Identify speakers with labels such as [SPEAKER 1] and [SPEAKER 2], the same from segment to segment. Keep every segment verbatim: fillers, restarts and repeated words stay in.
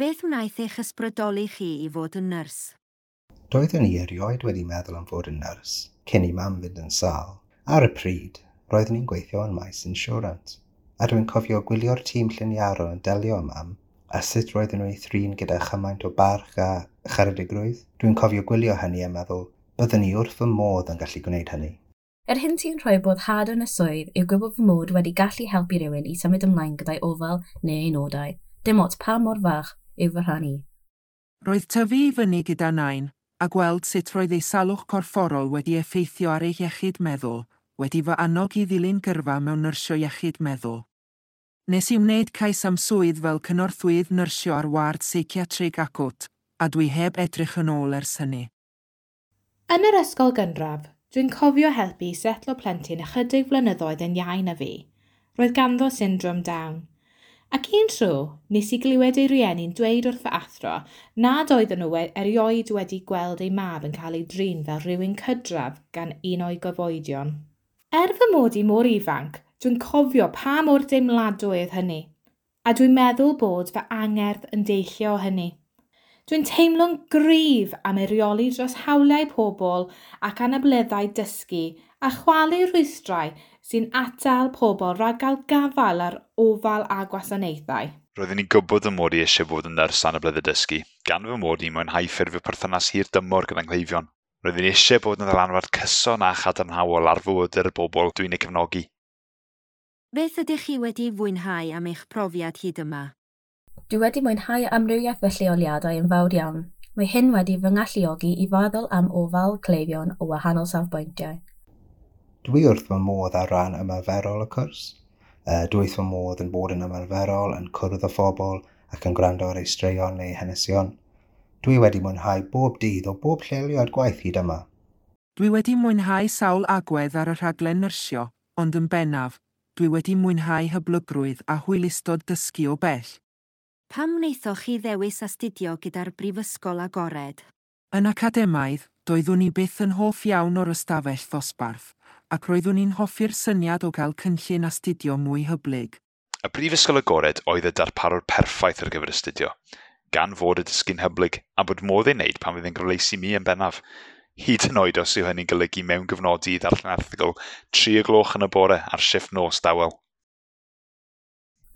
[SPEAKER 1] Beth wnaeth eich ysbrydoli chi i fod yn nyrs?
[SPEAKER 2] Doeddwn i erioed wedi meddwl am fod yn nyrs, cyn i mam fynd yn sâl. Ar y pryd, roeddwn i'n gweithio yn maes insurance, a dwi'n cofio gwylio'r tîm lliniarol yn delio â mam, a sut roedden nhw'n ei thrin gyda chymaint o barch a charedigrwydd. Dwi'n cofio gwylio hynny a meddwl, byddwn i wrth fy modd yn gallu gwneud hynny.
[SPEAKER 3] Yr hyn sy'n rhoi boddhad yn y swydd yw gwybod fy mod wedi gallu helpu rhywun i symud ymlaen gyda'i ofal neu ei nodau, dim ots pa mor fach yw fy rhan i.
[SPEAKER 4] Roedd tyfu i fyny gyda nain, a gweld sut roedd ei salwch corfforol wedi effeithio ar ei iechyd meddwl, wedi fy annog i ddilyn gyrfa mewn nyrsio iechyd meddwl. Nes i wneud cais am swydd fel cynorthwyydd nyrsio ar ward seiciatrig acwt, a dwi heb edrych yn ôl ers hynny.
[SPEAKER 5] Yn yr ysgol gynradd, dwi'n cofio helpu i setlo plentyn ychydig flynyddoedd yn iau na fi. Roedd ganddo syndrom Down. Ac un tro, nes i glywed ei rieni'n dweud wrth fy athro nad oedden nhw erioed wedi gweld ei mab yn cael ei drin fel rhywun cydradd gan un o'i gyfoedion. Er fy mod i mor ifanc, dwi'n cofio pa mor deimladwy oedd hynny, a dwi'n meddwl bod fy angerdd yn deillio o hynny. Dwi'n teimlo'n gryf am eirioli dros hawliau pobl ac anableddau dysgu a chwalu rhwystrau sy'n atal pobl rhag gael gafael ar ofal a gwasanaethau.
[SPEAKER 6] Roeddwn i'n gwybod fy mod i eisiau bod yn nyrs anableddau dysgu, gan fy mod i'n mwynhau ffurfio perthynas hir dymor gyda'n nghleifion. Roeddwn i eisiau bod yn ddylanwad cyson a chadarnhaol ar fywydau'r bobl dwi'n eu cefnogi.
[SPEAKER 1] Beth ydych chi wedi fwynhau am eich profiad hyd yma?
[SPEAKER 3] Dwi wedi mwynhau amrywiaeth fy lleoliadau yn fawr iawn. Mae hyn wedi fy ngalluogi i feddwl am ofal cleifion o wahanol safbwyntiau.
[SPEAKER 2] Dwi wrth fy modd ar ran ymarferol y cwrs. Uh, dwi wrth fy modd yn bod yn ymarferol, yn cwrdd â phobl ac yn gwrando ar eu straeon neu hanesion. Dwi wedi mwynhau bob dydd o bob lleoliad gwaith hyd yma.
[SPEAKER 4] Dwi wedi mwynhau sawl agwedd ar y rhaglen nyrsio, ond yn bennaf, dwi wedi mwynhau hyblygrwydd a hwylustod dysgu o bell.
[SPEAKER 1] Pam wnaethoch chi ddewis astudio gyda'r Brifysgol Agored?
[SPEAKER 4] Yn academaidd, doeddwn i byth yn hoff iawn o'r ystafell ddosbarth, ac roeddwn i'n hoffi'r syniad o gael cynllun astudio mwy hyblyg.
[SPEAKER 6] Y Brifysgol Agored oedd y darparwr perffaith ar gyfer astudio, gan fod y dysgu'n hyblyg a bod modd ei wneud pan fydd yn gyfleus i mi yn bennaf. Hyd yn oed os yw hynny'n golygu mewngofnodi i ddarllen erthygl tri o gloch yn y bore ar shifft nos dawel.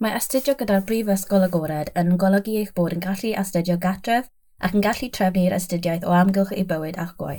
[SPEAKER 3] Mae astudio gyda'r Brifysgol Agored yn golygu eich bod yn gallu astudio gartref ac yn gallu trefnu'r astudiaeth o amgylch eich bywyd a'ch gwaith.